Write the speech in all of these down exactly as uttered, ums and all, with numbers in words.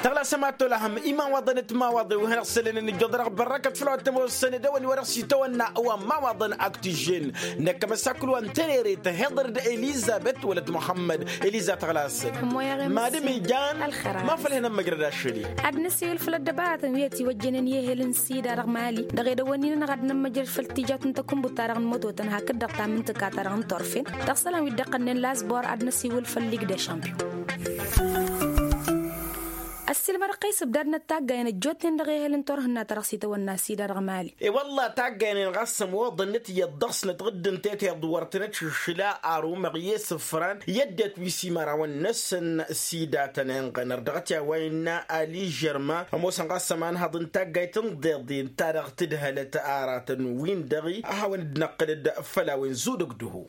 Tăɣla s-ămattolăhăm imawaḍăn d-timawaḍe wi hanăɣ-sălănen ijjoḍănăɣ bărrăkăt făll-wa t-ămoosăn d-ewăn iwărăɣ s-itawănna wa n-imawaḍăn aktijžen. Năkk amăsakul wa n-tenere tăhiḍăr d-elizăbet wălăt muḥămmăd. Eliza tăɣla-săn. Mad-ămijan. Ma făll-hin-ămmăjrăd ašăl-i. Ad-năsiwǝl făll-ăddăbaratăn wi ătiwăjjănen i-ehel n-sida dăɣ-mali dăɣ-edăwănnin-anăɣ ad-nămmăjrăd făll-tijat n-takǝnbut-ta-dăɣ n-mătotăn hakd-dăɣ tamǝntǝka-ta-dăɣ n-torfen. Dăɣ-isălan wi dd-iqqănnen lasbor ad-năsiwǝl făll-lig d-ašampiyon. Ăssiilmădăɣ-kăy s-ǝbdadnăt taggayen ăjjootnen dăɣ-ehel n-turhǝnna-ta-dăɣ s-itawănna sida dăɣ-mali. I-wălla taggayen-en ɣas ămooḍăn-net iyyăḍ dăɣ-snăt ɣǝddǝn teteḍ wăr tăn-ătšǝššǝla arumăɣ i-isǝfran i-ăddinăt wi s-imărawăn-năsăn. Sida tăn-inɣănăr dăɣ-t i-a-wa innă aližărma ămoosăn ɣas ămanhăḍ n-taggayt n-iḍeḍen ta dăɣ-tǝdhălăt aratăn-win-dăɣ a hawăn-dd-năqqǝlăd făll-a-wen zudǝg dăho.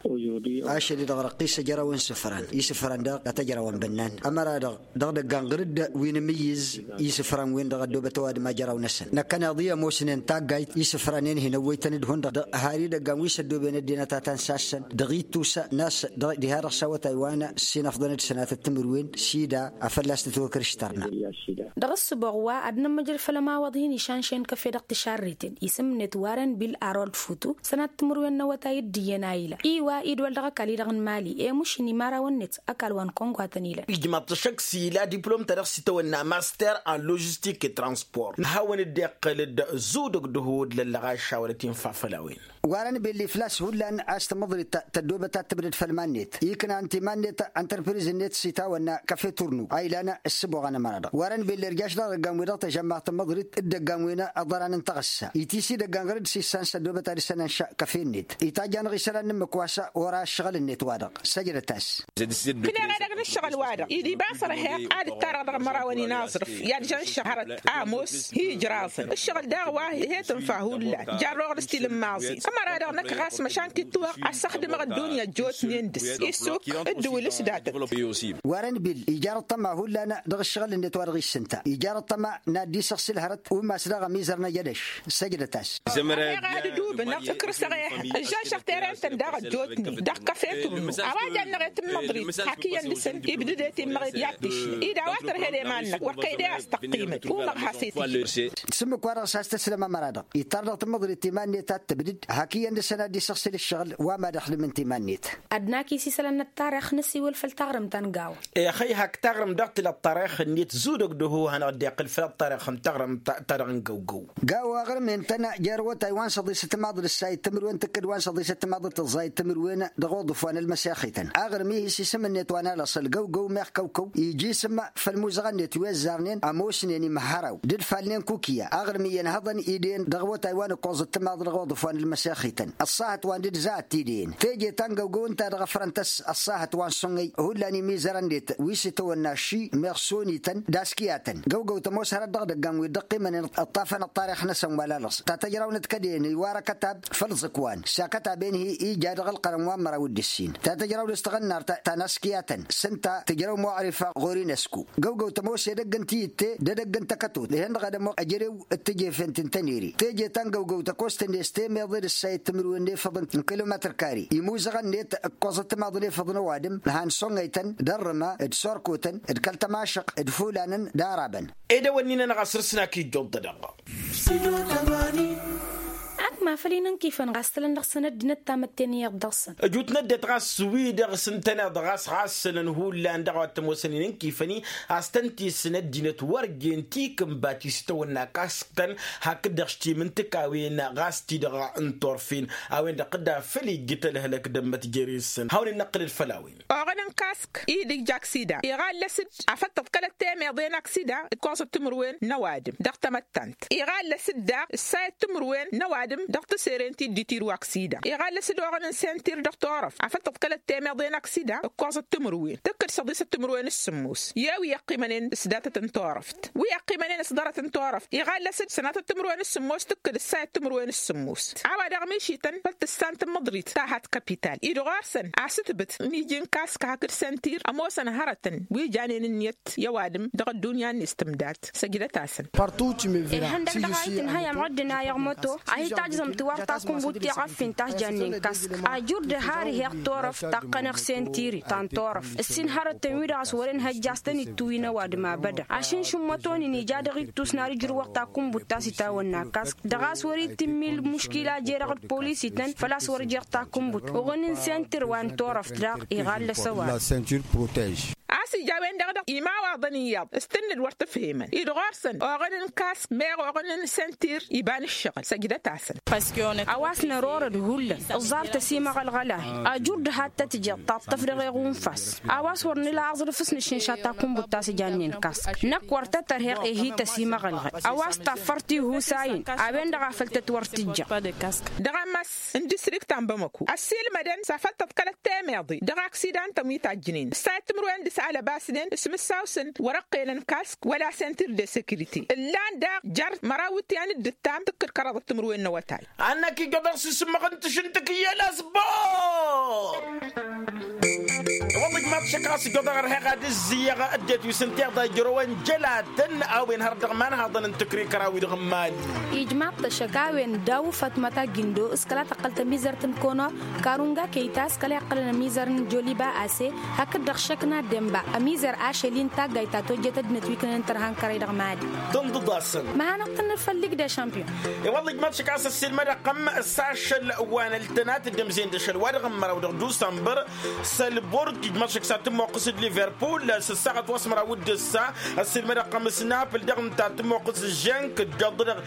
Ašăl-i-dăɣ răqqis ăjrăw n-isǝfran isǝfran daɣ a tăjrăwăn bănnan ămăra-dăɣ dăɣ-idăggan ɣǝr-dd wi n-amǝyyǝz isǝfran-wen-dăɣ ăddoobăt ăwadǝm ajăraw-năsăn năkkăneḍ-i ămoosnen taggayt isǝfran-en hin-ăwwăytăn d-hundăɣ har idăggan wi s-ăddooben ăddinăt a ta n-sassăn dăɣ-ittusa n-a-s diha-dăɣ s-awătay wa n-sinăfḍăn d-sănatăt timǝrwen sida a fălla-s tǝtwăkrǝštărna. Dăɣ-ǝssǝboɣ wa ad-nămmăjrăd făll-ămawăḍ hin-išanšen kăfe dăɣ-tišarriten isǝm-net warren bil arold futu sănat timǝrwen n-awătay d-iyyăn a ilăn i-wa idwăl dăɣ-ăkall-i-dăɣ n-mali i-mušǝn imărawăn-net ăkall wa n-kăwăn-kwatăn ilăn. Ijmaḍ-t ăššăk s-ila diplom-ta-dăɣ s-itawănna master en logistik i-transport hawăn-dd-iqqǝl-dd zudǝg dăho d-lăllăɣ ašawălăt infa făll-a-wen. Warăn belli făl-a-s hullan a-s tamăḍrit tăddoobăt ad-tǝbdăd făll-iman-net iknan timan-net ăntărpriz-net s-itawănna kăfe turnu a ilan ǝssǝboɣăn ămăra-dăɣ warăn belli ărjaš dăɣ-idăggan-wi-dăɣ tăžămmaɣ tamăḍrit d-idăggan-wen ăḍăran n-taɣǝssa iti s-idăggan ɣur-dd s-issan s-ăddoobăt ad-ǝssan ănšăɣ kăfe-net itajj-anăɣ isălan n-ǝmmǝk wa s-ora ǝššăɣǝl-net-wa-dăɣ săjdăt-as. Kǝneɣ edăgg n-ǝššăɣǝl-wa-dăɣ id-iba s-ărheɣ ad-ǝttarăɣ dăɣ-imărawăn inaẓrǝf i-ad-žănšăɣ hărăt ămoos hi-ijraẓăn ǝššăɣǝl daɣ wa he-tǝnfa hullan jarrăɣ-dd s-tilǝmmaẓin ămăra-dăɣ năkk ɣas măšan kitwăɣ ăssăxdǝmăɣ ăddunya ăjjootnen dăɣ-s isuk d-ǝwǝl s-datăt. Warăn bil ijar ăṭṭăma hullan dăɣ-ǝššăɣǝl-net wa dăɣ-issǝnta ijar ăṭṭăma n-ad-dd-isăɣsǝl hărăt umas daɣ ămizăr n-ajădăš. Săjdăt-as. Ăheɣ ad-ǝdubǝnăɣ ǝkrǝsăɣ ehăn ǝžžănšăɣ tere-tăn daɣ ăjjootnen dăɣ-kăfe turnu a-wa jannăɣ i-tǝmmăḍrit hak iyyăn dăɣ-săn ibdǝd i-timmăɣit i-ad-tǝššǝl-i d-a-wa tărhed i-iman-năk wăr kăy-de a-s tăqqimăd umăɣ has-i-tǝjjǝd. S-ǝmmǝk-wa-dăɣ s-has-tǝslăm ămăra-dăɣ ittar dăɣ-tamăḍrit timan-net ad-tǝbdǝd hak iyyăn dăɣ-săn ad-dd-isăɣsǝl ǝššăɣǝl wa mad-ăxdǝm n-timan-net. Ad-nak isisălăn n-ăṭṭarix năsiwǝl făll-taɣrǝmt ta n-gawa. Ixăy hak taɣrǝmt dăɣ-tǝla ăṭṭarix-net zudăg dăho hanăɣ-dd-iqqǝl făll-ăṭṭarix n-taɣrǝmt ta dăɣ-n găwgăw. Gawa aɣrǝm-en-tăn jer-awătay wa n-săḍisăt timaḍ d-ǝssayǝd timǝrwen tǝkkǝd wa n-săḍisăt timaḍ d-tǝẓẓayǝd timǝrwen dăɣ-uḍǝf wa n-ălmăsexităn aɣrǝm-ih isisǝm-net wa n-alăṣăl găwgăw meɣ kăwkăw iji isǝm făll-imuzăɣăn-net wi ăzzarnen ămoosnen imhăraw d-ǝdfalnen kukǝya aɣrǝm iyyăn hăḍăn idăyăn dăɣ-awătay wa n-ǝkkoẓăt timaḍ dăɣ-uḍǝf wa n-ǝlmăsexităn ăṣṣahăt wa n-dd-zăhăt tidăyăn teje ta n-găwgăw ǝnta dăɣ-ăfrăn-tăs ăṣṣahăt wa n-sǝnnăy hullan imizărăn-net wi s-itawănna ši meɣ sonităn d-askǝyatăn găwgăw tămoos hărăt dăɣ-idăggan wi dd-ăqqimănen ăṭṭafăn ăṭṭarix-năsăn wăla lăṣ ta tăjrawnet kădăyăn iwar akătab făll-iẓǝkwan s-akătab-en-hi ija dăɣ-ălqărăn wa n-măraw d-ǝssin ta tăjraw dăɣ-s tăɣǝnnar ta n-askǝyatăn s-ǝnta tǝjrăw muɣrif ɣur-inesku. Găwgăw tămoos edăgg n-tiyǝtte d-edăgg n-takătot ehen-dăɣ ad-ămoɣ ăjrew d-tejefen ti n-tănere teje ta n-găwgăw tăkost-net temeḍe d-ǝssayăt timǝrwen n-efăḍ n-kilometr kare imuzăɣăn-net ǝkkoẓăt timaḍ n-efăḍ n-ăwadǝm han soŋăytăn d-ărrǝma d-sorkotăn d-kăl-tămašăq d-fulanăn d-arabăn. Edăwănnin-anăɣ a săr-s n-ak ijjuḍ-dăɣ. Ak ma făl inǝnkifăn ɣas tălăn dăɣ-săn ăddinăt tamătte n-iyyăḍ dăɣ-săn. Ăjut n-ăddinăt ɣas wi-dăɣ s-ǝntăneḍ ɣas ɣas sălăn hullan dăɣ-a wa t-ămoosăn inǝnkifăn-i a-s tăn-tisǝn ăddinăt wăr jen tikǝnba ti s-tăwănna kask-tăn hakd-dăɣ s-timǝntǝkawen ɣas ti-dăɣ n-turfen a-wen-dăɣ tǝdda făll-ijjǝt ălhălăk d-ămmăt jere-săn hawăn-in-năqqǝlăd făll-a-wen. Oɣăn n-kask-i d-ija aksida iɣallăs-dd afăl tǝḍkălăt temeḍe n-aksida d-ǝkkoẓăt timǝrwen n-ăwadǝm dăɣ-tamăttant iɣallăs-dd daɣ ǝssayăt timǝrwen n-ăwadǝm dăɣ-tiseren ti dd-itirǝw aksida iɣallăs-dd oɣăn n-sentir dăɣ-turăft afăl tǝḍkălăt temeḍe n-aksida ǝkkoẓăt timǝrwen tǝkkǝd săḍisăt timǝrwen s-sǝmmos i-a-wi iqqimănen s-datăt n-turăft wi iqqimănen s-ḍarăt n-turăft iɣallăs-dd sănatăt timǝrwen s-sǝmmos tǝkkǝd ǝssayăt timǝrwen s-sǝmmos a-wa daɣ mišităn făl tǝssan tamăḍrit ta hat kapital-i d-ɣur-săn asǝtbǝt n-iji n-kask hak d-sentir ămoosăn hărătăn wi janen ǝnniyăt i-ăwadǝm dăɣ-ăddunya-net tǝmdat. Săjdăt-asăn. Ihăndăg dăɣ-a itǝnhăyăm ɣǝddǝn a iɣmăto a hi-tajẓăm tiwar takumbut tiɣăffin ta s-jannen kask ajur d-har-iheɣ torăft taqqăneɣ sentiri ta n-torăft ǝssin hărătăn-wi-dăɣ a-s wăren hăjja a-s tăn-ittuwin ăwadǝm abăda ašǝnš n-imătonin ija dăɣ-ittus n-ad-ǝjrǝwăɣ takumbut ta s-itawănna kask dăɣ-a-s wăr-itǝmmil muškila jer-dăɣ d-polisităn făl-a-s wăr jer-takumbut oɣǝn n-sentir wa n-torăft daɣ iɣallăs ăwadǝm. A-s ija a-wen-dăɣ dăɣ-imawaḍăn iyyăḍ s-tǝnnǝd wăr t-ǝfhemăn-dd ɣur-săn oɣǝn n-kask meɣ oɣǝn n-sentir iba n-ǝššăɣǝl săjdăt-asăn. A-wa s-nărorăd hullan ǝẓẓar tăsimăɣălɣăl-ahi ajur d-had-tăt-jeḍ taṭṭăf dăɣ-eɣunfas a-wa s-wăr nǝla aẓrǝf s-nǝššǝnša takumbut ta s-jannen kask năkk wăr tăt-ărheɣ ehi tăsimăɣălɣăl a-wa s-taffăr tihusayen a-wen-dăɣ a făl tăt-wăr tǝjja. Dăɣ-ammas n-distrikt ta n-bamăku ăssiilmădăn s-afăl tăḍkălăt temeḍe dăɣ-aksidantăn wi tajjǝnen ǝssayăt timǝrwen dăɣ-s alăbasnen s-imǝssaw-săn wăr-ăqqelăn kask wăla sentir de sekirite ǝllan daɣ jer-măraw iwǝtyan d-ǝttam tǝkkǝd kăraḍăt timǝrwen n-awătay. Annăk ijjăḍăɣ s-isǝmmăɣ n-tǝšǝntǝk iyyăl asbor. Wălla ijmaḍ šăkk ɣas ijjăḍăɣ ărheɣ ad-ǝzzǝyăɣ ăddinăt wi s-ǝnta iḍa ijrăwăn jălatăn a-wen hărăt dăɣ-imanhaḍăn n-tǝkrikăra-wi-dăɣ n-imali. Ijmaḍ-t ăššăk a-wen daw fătmăt aggindo s-kăla tăqqăl tămizărt n-kono karunga kăyta s-kăla iqqălăn ămizăr n-joliba ase hakd-dăɣ šăkna demba ămizăr ašăl-i n-taggayt ta tojjet ăddinăt wi kănen tărha n-kărăy dăɣ-mali. Tǝnḍǝḍ-asăn. Măhanăɣ-tăn n-făll-igdăš ampiyon. I-wălla ijmaḍ šăkk a-s ăssiilmăd ăqqăm s-ašăl wa n-ăltănat d-ămzen d-ašăl wa dăɣ-n măraw dăɣ-dusămbăr. Sălburg ijmaḍ šăkk s-ad-tǝmmoqqǝs d-liverpul s-ăssaɣăt wa s-măraw d-ǝssa. Ăssiilmăd ăqqăm s-napl dăɣ-nǝnta ad-tǝmmoqqǝs d-žănk dd-aḍḍădăɣ.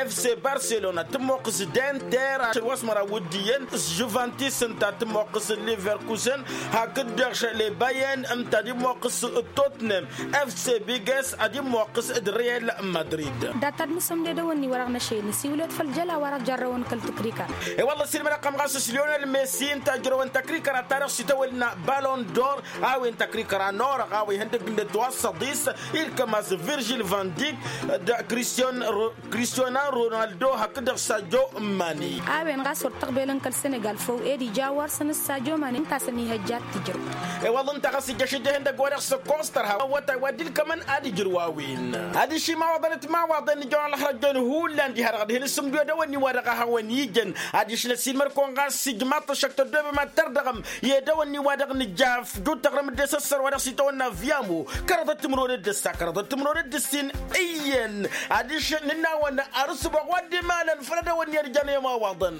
Fc barcelona ad-tǝmmoqqǝs d-enter ašăl wa s-măraw d-iyyăn s-juvantis ǝnta ad-tǝmmoqqǝs d-liverkusen. Hakd-dăɣ šăle bayern ǝnta ad-immoqqǝs d-totnem. Fc biges ad-immoqqǝs d-real madrid. Dat-ad-nǝsǝmded ăwănni-wa-dăɣ n-ašăl nǝsiwǝl-ed făll-jăla wa-dăɣ jarrăwăn kăl-tǝkrikăra. I-wălla ăssiilmăd ăqqăm ɣas s-lionel messi ǝnta a ǝjrăwăn tăkrikăra ta dăɣ-s itawălna balon d-or. A-wen tăkrikăra n-orăɣ a-wa ihăndăg n-dd-ătwăssăḍis ilkăm-as virgil van dyck d-cristiano ronaldo hakd-dăɣ sajo mani. A-wen ɣas wăr tăɣbelăn kăl-senegal făw ed ija wăr săn s-sajo mani ǝnta a săn ihăjja ad-t-ǝjrăw. I-wălla ǝnta ɣas ija ašăjja ihăndăg wa dăɣ-s ăkkoẓ tărha awătay wa dd-ilkămăn ad-ǝjrǝw a-wen. Adiš imawaḍăn d-imawaḍăn ijăwăn ălxărăjjăn hullan diha-dăɣ ad-hin-sǝmduyăd a-wen i-wa-dăɣ a hawăn-ijăn. Adiš năsiilmăd-kăwăn ɣas ijmaḍ-t ăššăk tăddoobem ad-tărdăɣăm i-ed a-wen i-wa-dăɣ nǝjja afjud taɣrǝm d-esăssăr wa dăɣ-s itawănna vyamu. Kăraḍăt timǝrwen d-ǝssa kăraḍăt timǝrwen d-ǝssin iyyăn. Adiš nǝnnawăn ar ǝssǝboɣ wa dd-imalăn făll-ad-ăwănni ad-ǝjăn i-imawaḍăn.